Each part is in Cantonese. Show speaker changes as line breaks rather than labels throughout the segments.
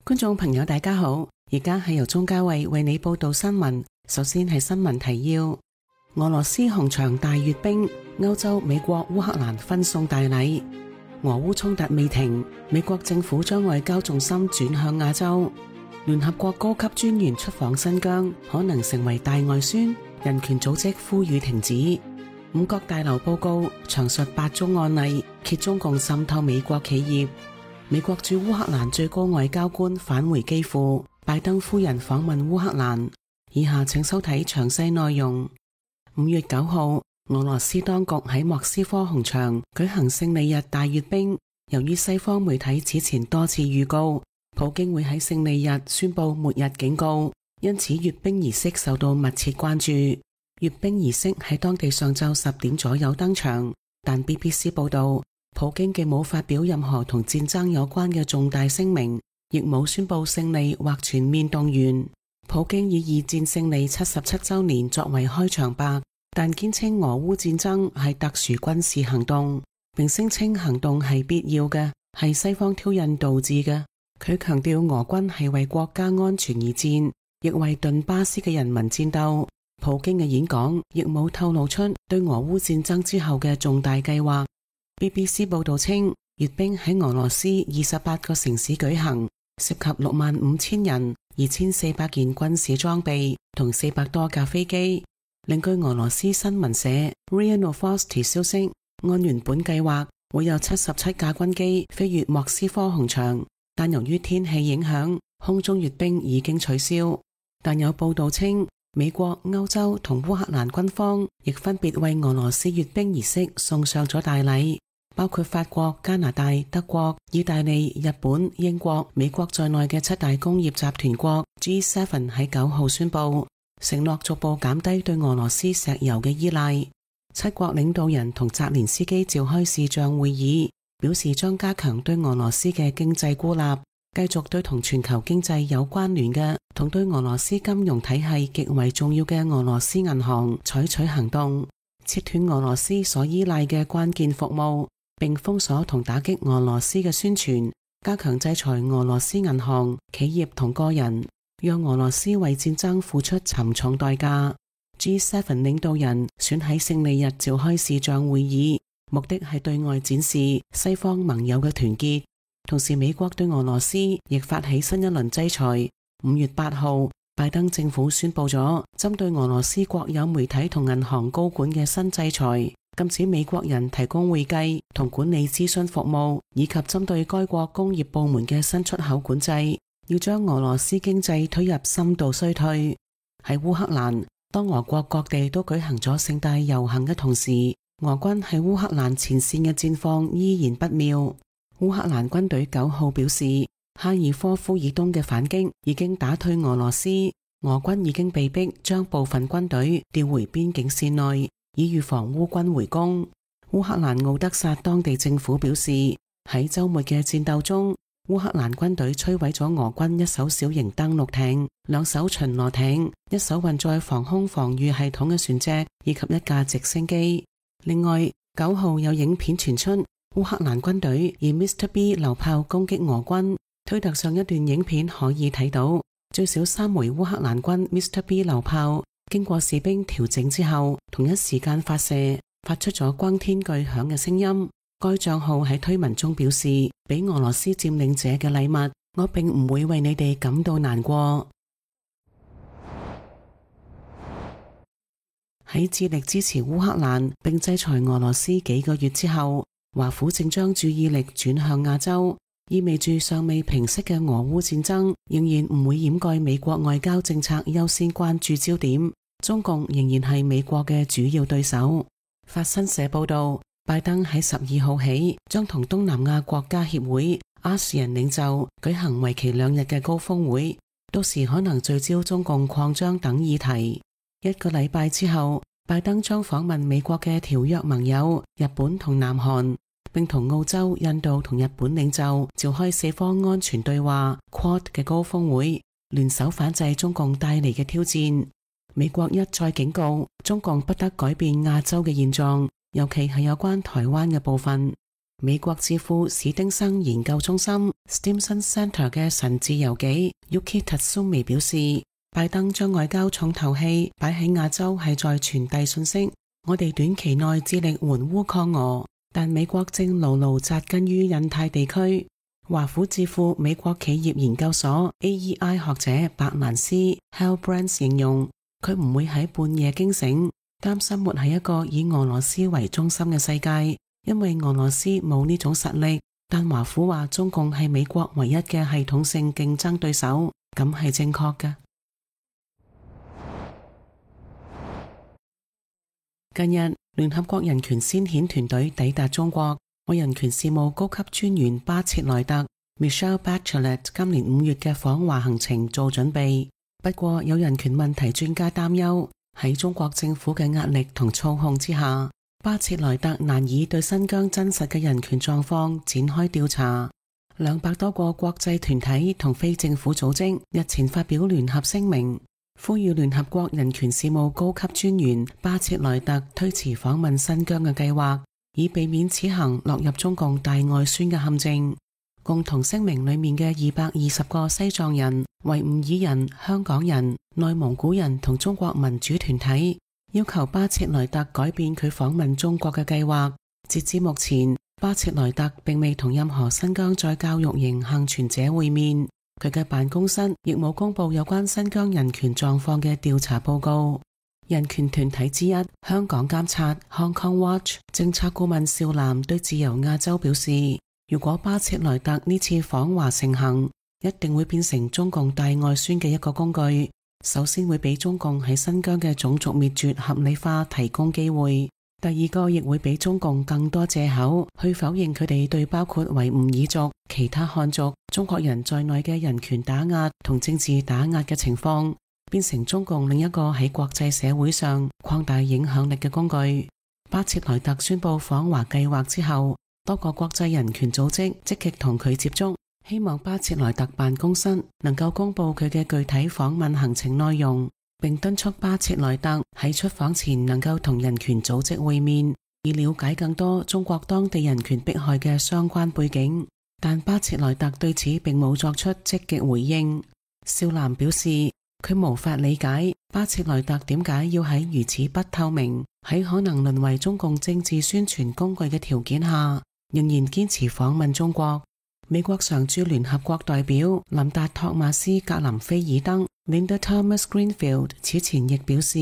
觀眾朋友大家好，而家係由鍾嘉慧為你報道新聞。首先係新聞提要：俄羅斯紅場大閱兵，歐洲、美國、烏克蘭分送大禮。俄烏衝突未停，美國政府將外交重心轉向亞洲。聯合國高級專員出訪新疆，可能成為大外宣。人權組織呼籲停止。五角大樓報告詳述8宗案例，揭中共滲透美國企業。美國駐烏克蘭最高外交官返回基輔，拜登夫人訪問烏克蘭。以下請收睇詳細內容。5月9號，俄羅斯當局喺莫斯科紅場舉行勝利日大閱兵。由於西方媒體此前多次預告，普京會喺勝利日宣布末日警告，因此閱兵儀式受到密切關注。閱兵儀式喺當地上晝10點左右登場，但 BBC 報道，普京既冇發表任何同戰爭有關嘅重大聲明，亦冇宣布勝利或全面動員。普京以二戰勝利77週年作為開場白，但堅稱俄烏戰爭係特殊軍事行動，並聲稱行動係必要嘅，係西方挑釁導致嘅。佢強調俄軍係為國家安全而戰，亦為頓巴斯嘅人民戰鬥。普京嘅演講亦冇透露出對俄烏戰爭之後嘅重大計劃。BBC 報道稱，閱兵喺俄羅斯28個城市舉行，涉及65000人、2400件軍事裝備同400多架飛機。另據俄羅斯新聞社 RIA Novosti 消息，按原本計劃會有77架軍機飛越莫斯科紅場，但由於天氣影響，空中閱兵已經取消。但有報道稱，美國、歐洲同烏克蘭軍方亦分別為俄羅斯閱兵儀式送上咗大禮，包括法國、加拿大、德國、意大利、日本、英國、美國在內嘅7大工業集團國 G7 喺9號宣布，承諾逐步減低對俄羅斯石油嘅依賴。7國領導人同澤連斯基召開視像會議，表示將加強對俄羅斯嘅經濟孤立，繼續對同全球經濟有關聯嘅同對俄羅斯金融體系極為重要嘅俄羅斯銀行採取行動，切斷俄羅斯所依賴嘅關鍵服務，並封鎖同打擊俄羅斯嘅宣傳，加強制裁俄羅斯銀行、企業同個人，讓俄羅斯為戰爭付出沉重代價。G7 領導人選喺勝利日召開視像會議，目的係對外展示西方盟友嘅團結。同時，美國對俄羅斯亦發起新一輪制裁。5月8號，拜登政府宣布咗針對俄羅斯國有媒體同銀行高管嘅新制裁，禁止美國人提供會計同管理諮詢服務，以及針對該國工業部門嘅新出口管制，要將俄羅斯經濟推入深度衰退。喺烏克蘭，當俄國各地都舉行咗盛大遊行嘅同時，俄軍喺烏克蘭前線嘅戰況依然不妙。烏克蘭軍隊9號表示，哈爾科夫以東嘅反擊已經打退俄羅斯，俄軍已經被迫將部分軍隊調回邊境線內，以預防烏軍回攻。烏克蘭奧德薩當地政府表示，喺週末嘅戰鬥中，烏克蘭軍隊摧毀咗俄軍1艘小型登陸艇、2艘巡邏艇、1艘運載防空防禦系統嘅船隻以及1架直升機。另外，9號有影片傳出，烏克蘭軍隊以 Mr. B 榴炮攻擊俄軍。推特上一段影片可以睇到，最少3枚烏克蘭軍 Mr. B 榴炮經過士兵調整之後，同一時間發射，發出咗轟天巨響嘅聲音。該賬號喺推文中表示，俾俄羅斯佔領者嘅禮物，我並唔會為你哋感到難過。喺致力支持烏克蘭並制裁俄羅斯幾個月之後，華府正將注意力轉向亞洲，意味住尚未平息嘅俄烏戰爭仍然唔會掩蓋美國外交政策優先關注焦點。中共仍然係美國嘅主要對手。法新社報道，拜登喺12號起將同東南亞國家協會 ASEAN 領袖舉行為期2日嘅高峰會，到時可能聚焦中共擴張等議題。1個禮拜之後，拜登將訪問美國嘅條約盟友日本同南韓，並同澳洲、印度同日本領袖召開4方安全對話 Quad 嘅高峰會，聯手反制中共帶嚟嘅挑戰。美國一再警告中共不得改變亞洲嘅現狀，尤其係有關台灣嘅部分。美國智庫史丁生研究中心 Stimson Center 嘅神智游紀 Yuki Tatsumi 表示，拜登將外交重頭戲擺喺亞洲係在傳遞信息，我哋短期內致力援烏抗俄，但美國正牢牢紮根於印太地區。華府智庫美國企業研究所 AEI 學者伯蘭斯 Halbrand 形容，佢唔會喺半夜驚醒，擔心活喺一個以俄羅斯為中心嘅世界，因為俄羅斯冇呢種實力。但華府話中共係美國唯一嘅系統性競爭對手，咁係正確嘅。近日，聯合國人權先遣團隊抵達中國，為人權事務高級專員巴切萊特 Michelle Bachelet 今年5月嘅訪華行程做準備。不過，有人權問題專家擔憂，喺中國政府嘅壓力同操控之下，巴切萊特難以對新疆真實嘅人權狀況展開調查。200多個國際團體同非政府組織日前發表聯合聲明，呼籲聯合國人權事務高級專員巴切萊特推遲訪問新疆嘅計劃，以避免此行落入中共大外宣嘅陷阱。共同聲明裏面嘅220個西藏人、維吾爾人、香港人、內蒙古人同中國民主團體要求巴切萊特改變佢訪問中國嘅計劃。截至目前，巴切萊特並未同任何新疆在教育營幸存者會面，佢嘅辦公室亦冇公布有關新疆人權狀況嘅調查報告。人權團體之一香港監察 Hong Kong Watch 政策顧問邵嵐對自由亞洲表示，如果巴切萊特呢次訪華成行，一定會變成中共大外宣嘅一個工具。首先會俾中共喺新疆嘅種族滅絕合理化提供機會，第二個亦會俾中共更多藉口去否認佢哋對包括維吾爾族、其他漢族、中國人在內嘅人權打壓同政治打壓嘅情況，變成中共另一個喺國際社會上擴大影響力嘅工具。巴切萊特宣布訪華計劃之後，多個國際人權組織積極同佢接觸，希望巴切萊特辦公室能夠公布佢嘅具體訪問行程內容，並敦促巴切萊特喺出訪前能夠同人權組織會面，以了解更多中國當地人權迫害嘅相關背景。但巴切萊特對此並冇作出積極回應。邵嵐表示，佢無法理解巴切萊特點解要喺如此不透明、喺可能淪為中共政治宣傳工具嘅條件下，仍然堅持訪問中國。美國常駐聯合國代表林達托馬斯格林菲爾登 Linda Thomas Greenfield 此前亦表示，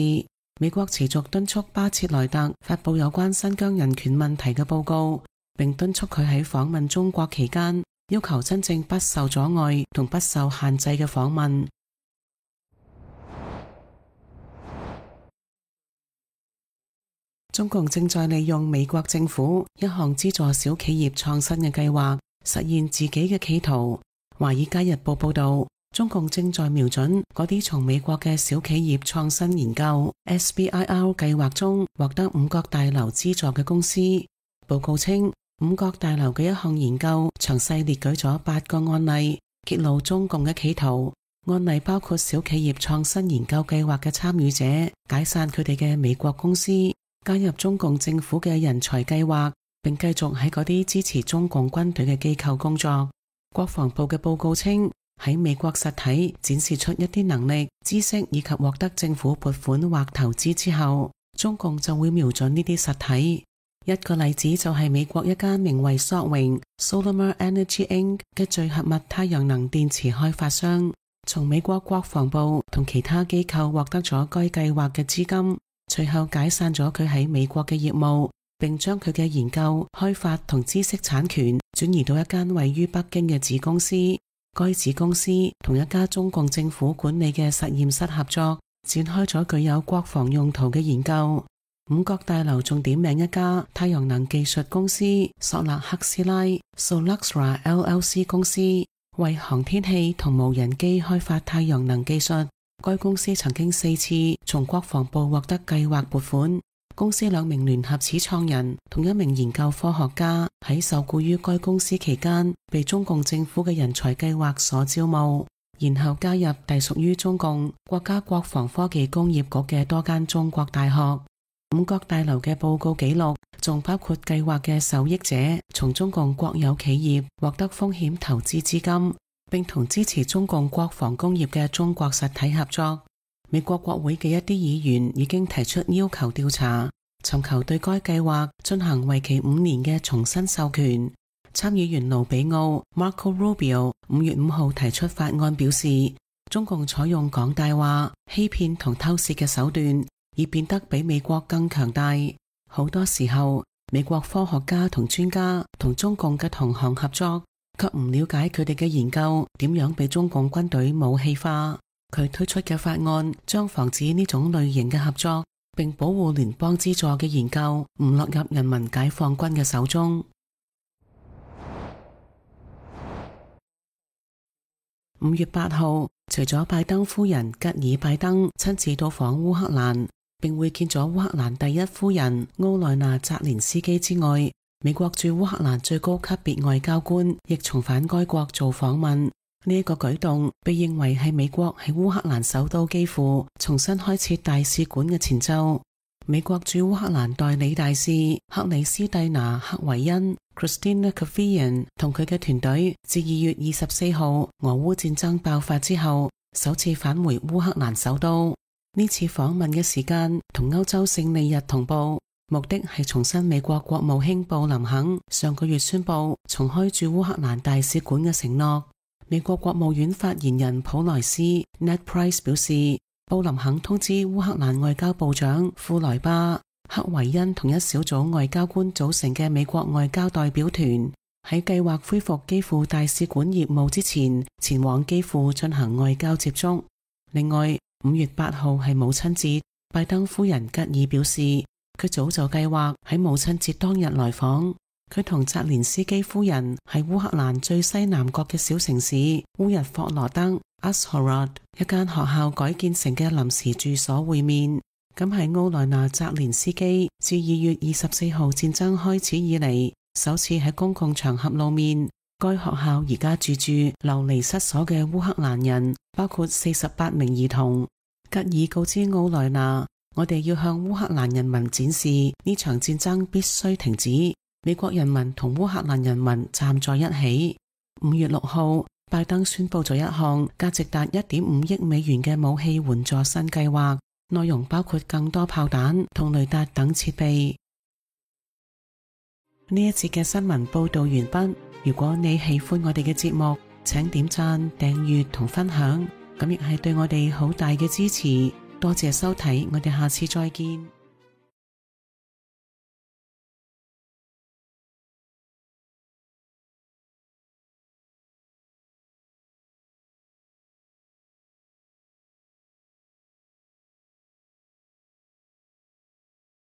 美國持續敦促巴切萊特發布有關新疆人權問題嘅報告，並敦促佢喺訪問中國期間要求真正不受阻礙同不受限制嘅訪問。中共正在利用美國政府一項資助小企業創新嘅計劃，實現自己嘅企圖。華爾街日報報道，中共正在瞄準嗰啲從美國嘅小企業創新研究 SBIR 計劃中獲得五角大樓資助嘅公司。報告稱，五角大樓嘅一項研究詳細列舉咗8個案例，揭露中共嘅企圖。案例包括小企業創新研究計劃嘅參與者解散佢哋嘅美國公司，加入中共政府嘅人才計劃，並繼續喺嗰啲支持中共軍隊嘅機構工作。國防部嘅報告稱，喺美國實體展示出一啲能力、知識以及獲得政府撥款或投資之後，中共就會瞄準呢啲實體。一個例子就係美國一間名為索榮 Solar Energy Inc. 嘅聚合物太陽能電池開發商，從美國國防部同其他機構獲得咗該計劃嘅資金，隨後解散咗佢喺美國嘅業務，並將佢嘅研究、開發同知識產權轉移到一間位於北京嘅子公司。該子公司同一家中共政府管理嘅實驗室合作，展開咗具有國防用途嘅研究。五角大樓仲點名一家太陽能技術公司索勒克斯拉 Soluxra LLC 公司，為航天器同無人機開發太陽能技術。該公司曾經4次從國防部獲得計劃撥款。公司2名聯合始創人同1名研究科學家喺受僱於該公司期間，被中共政府嘅人才計劃所招募，然後加入隸屬於中共國家國防科技工業局嘅多間中國大學。五角大樓嘅報告記錄仲包括計劃嘅受益者從中共國有企業獲得風險投資資金，並同支持中共國防工業嘅中國實體合作。美國國會嘅一啲議員已經提出要求調查，尋求對該計劃進行為期5年嘅重新授權。參議員盧比奧 Marco Rubio 5月5號提出法案，表示中共採用講大話、欺騙同偷竊嘅手段，以變得比美國更強大。好多時候，美國科學家同專家同中共嘅同行合作，卻唔了解佢哋嘅研究點樣被中共軍隊武器化。佢推出嘅法案將防止呢種類型嘅合作，並保護聯邦資助嘅研究唔落入人民解放軍嘅手中。5月8號，除咗拜登夫人吉爾拜登親自到訪烏克蘭，並會見咗烏克蘭第一夫人奧萊娜澤連斯基之外，美國駐烏克蘭最高級別外交官亦重返該國做訪問。呢一個舉動被認為係美國喺烏克蘭首都基輔重新開設大使館嘅前奏。美國駐烏克蘭代理大使克里斯蒂娜·克維恩 Christina Kavian 同佢嘅團隊自2月24號俄烏戰爭爆發之後首次返回烏克蘭首都。呢次訪問嘅時間同歐洲勝利日同步，目的係重申美國國務卿布林肯上個月宣布重開駐烏克蘭大使館嘅承諾。美國國務院發言人普萊斯 Ned Price 表示，布林肯通知烏克蘭外交部長庫萊巴、克維恩同一小組外交官組成嘅美國外交代表團，喺計劃恢復基輔大使館業務之前，前往基輔進行外交接觸。另外，5月8號係母親節，拜登夫人吉爾表示，佢早就計劃喺母親節當日來訪。佢同澤連斯基夫人喺烏克蘭最西南角嘅小城市烏日霍羅德 Uzhhorod 一間學校改建成嘅臨時住所會面。咁係奧萊娜澤連斯基自2月24號戰爭開始以嚟首次喺公共場合露面。該學校而家住流離失所嘅烏克蘭人，包括48名兒童。吉爾告知奧萊娜，我哋要向烏克蘭人民展示呢場戰爭必須停止。美國人民同烏克蘭人民站在一起。5月6號，拜登宣布咗一項價值達1.5億美元嘅武器援助新計劃，內容包括更多炮彈同雷達等設備。呢一節嘅新聞報道完畢。如果你喜歡我哋嘅節目，請點讚、訂閱同分享，咁亦係對我哋好大嘅支持。多謝收睇，我哋下次再見。